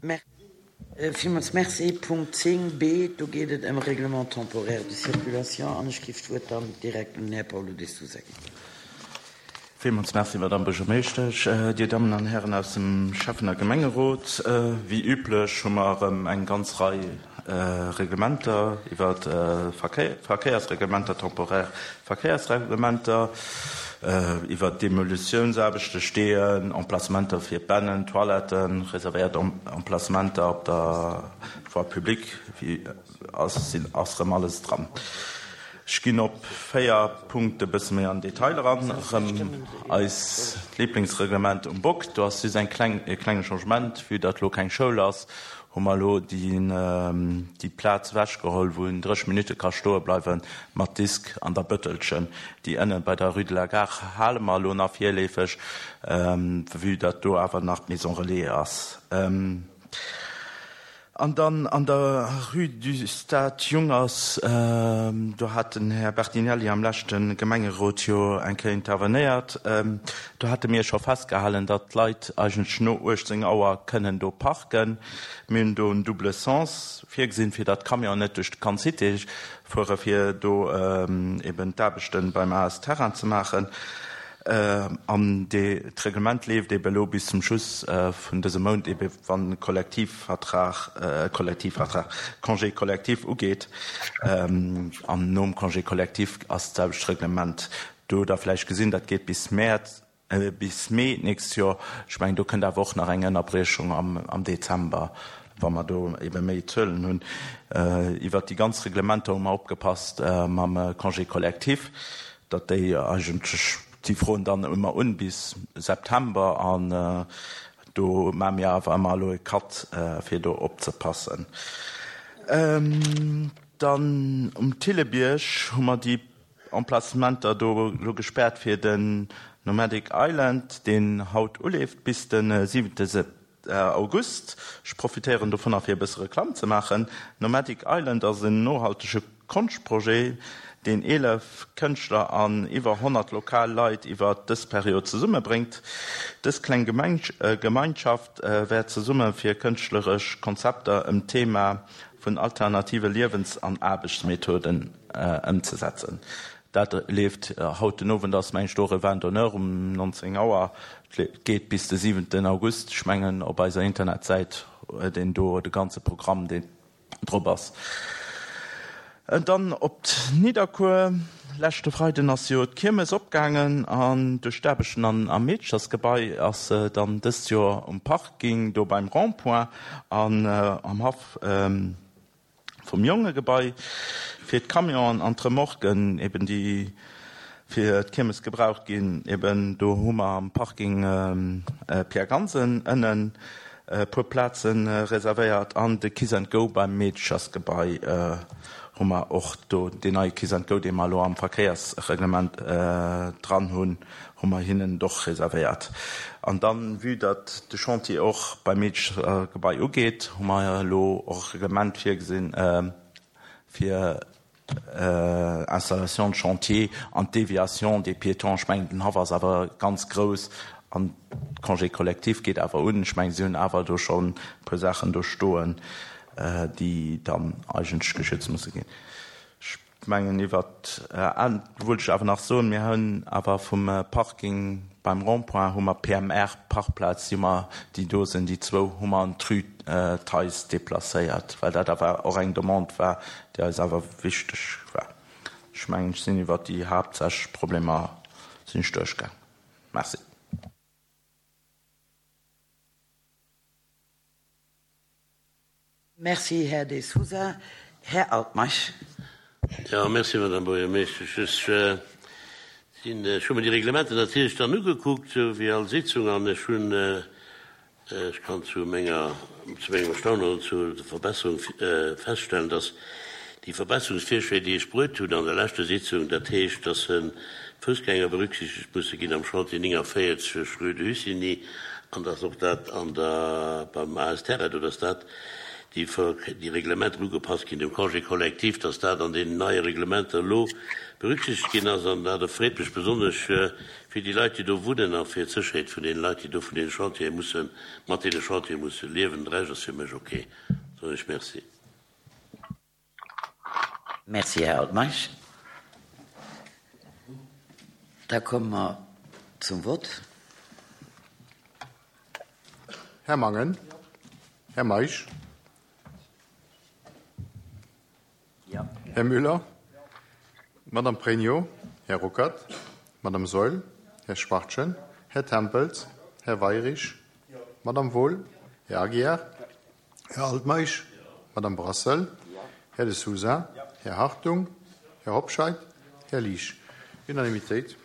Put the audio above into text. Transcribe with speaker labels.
Speaker 1: Villmools Merci. Punkt 10 b, do geet et ëm Règlement temporaire de circulation an ech géif d'Wuert dann direkt un den Här Paolo De Sousa ginn.
Speaker 2: Villmools Merci, Madamm Buergermeeschtesch, Dir Dammen an Hären aus dem Schäffen a Gemengerot. Wéi üblech hu mer erëm eng ganz Rei Reglementer iwwer Verkéiersreglementer, temporaire Verkéiersreglementer, iwwer Demolitiounsaarbechte, Steeën, Emplacementer fir Bennen, Toiletten, reservéiert Emplacementer op der Voie publique, ass erëm alles dran. Ech ginn op 4 Punkte bësse méi an Detail eran. Erëm eis Lieblingsreglement um Bock. Do ass just eng kleng, e klenge Changement. Vue datt elo keng Schoul ass, hu mer elo déi Plaz ewechgeholl, wou een 30 Minutte ka stoe bleiwe mat Disk an der Bëttelchen. Déi ënne bei der Rue de la Gare hale mer elo nach virleefeg, vue datt do awer nach d'Maison Relais ass. An dann an der Rue du Stade Jungers, do hat den Här Bertinelli am leschte Gemengerot jo eng Kéier intervenéiert, do hate mir scho festgehalen, datt d'Leit eigentlech no 18 Auer kënnen do parken. Mir hunn do en double sens virgesinn, fir datt d'Camionen net duerch d'ganz Cité fuere fir do eben d'Aarbechte beim AS Terrain ze maachen. An d'Reglement leeft ebe elo bis zum Schluss vun dësem Mount, ebe wann de Kollektivvertrag, Kollektivvertrag, Congé collectif ugeet. An nom Congé collectif ass d'selwecht Reglement do da vläicht gesinn. Dat geet bis Mäerz, bis Mee d'nächst Joer. Ech mengen, do kënnt awer och nach eng Ënnerbriechung am Dezember, wa mer do ebe méi Zuelen hunn. Iwwert déi ganz Reglementer hu mer opgepasst mam Congé collectif. datt déi eigentlech, si froen dann ëmmer un bis September an do maache mir awer ëmmer elo e Cut fir do opzepassen. Dann um Thillebierg hu mer déi Emplacementer do elo gespaart fir den Nomadic Island, deen haut uleeft bis de 7. August. Ech profitéieren dovunner fir e bësse Reklamm ze maachen. Nomadic Island ass en nohaltege Konschtprojet, deen 11 Kënschtler an iwwer 100 lokal Leit iwwer dës Period zesummebréngt. Dës kleng Gemeinschaft wäert zesumme fir kënschtleresch Konzepter ëm d'Thema vun alternative Liewens an Aarbechtsmethoden ëmzesetzen. Dat leeft haut den Owend, ass mengen ech do och e Vin d'honneur um 19 Auer. Et geet bis de siwenten August. Ech mengen op eiser Internetsäit huet een do de ganze Programm deen drop ass. Dann op Nidderkuer, Leschte Freiden ass jo d'Kiermes opgaangen an duerch d'Aarbechten am Meedchersgebai ass se dann dëst Joer um Parking do beim Rond-point an am Haff. Vum Jongegebai fir d'Camionen an d'Remorquen eben déi fir d'Kiermes gebraucht ginn, eben do hu mer am Parking Pierre Gansen ënnen e puer Plaze reservéiert an de Kiss and Go beim Meedechersgebai hu mer och do, deen neie Kiss and Go dee mer elo am Verkéiersreglement dran hunn. hu mer hinnen et och reservéiert. An dann, vue datt de Chantier och beim Meedchegebai ugeet, hu mer elo och e Reglement virgesinn fir Installation de chantier an d'Déviation des piétons. Ech mengen, den Haff ass awer ganz grouss an de Congé collectif geet awer un. Ech mengen, si hunn awer do schonn e puer Saachen do stoen, déi dann eigentlech geschützt musse ginn. Ech mengen iwwert, do wollt ech awer nach soen, mir hunn awer vum Parking beim Rond-point hu mer PMR Parkplaz, déi hu mer, déi do sinn, déi zwou hu mer an d'Rue Theis déplacéiert, well dat awer och eng Demande war, déi eis awer wichteg war. Ech mengen, ech sinn iwwert déi haaptsächlech Problemer sinn ech duerchgaang. Merci.
Speaker 1: Merci, Här De Sousa. Här Altmeisch.
Speaker 3: Jo, merci, Madame Buergermeeschtesch. Ech sinn, ech hu mer déi Reglementer natierlech dann ugekuckt, esou wéi all Sitzung, an ech hunn, ech kann zu menger, zu mengem Erstaunen oder zu der Verbesserung feststellen, dass déi Verbesserungsvirschléi, déi ech bruet hunn an der leschter Sitzung, dat heescht, dass d'Foussgänger berücksichtegt musse ginn am Chantier 49, rue de Hussigny, an dass och dat an der, beim AS Terre do, dass dat. déi, déi Reglementer ugepasst ginn dem Congé collectif, dass dat an deenen neie Reglementer elo berücksichtegt ginn ass. An dat erfreet mech besonnesch fir déi Leit, déi do wunnen a fir d'Sécherheet vun deenen Leit, déi do vun deene Chantiere mussen, mat deene Chantiere musse liewen. De Rescht ass fir mech ok. Soen ech Merci.
Speaker 1: Merci, Här Altmeisch. Da komme mer zum Vott.
Speaker 4: Här Mangen. Här Meisch. Här Müller. Madame Pregno. Här Ruckert. Madame Saeul. Här Schwachtgen. Här Tempels. Här Weyrich. Madame Wohl. Här Aguiar. Här Altmeisch. Madame Brassel. Här De Sousa. Här Hartung. Här Hobscheit. Här Liesch. Unanimitéit.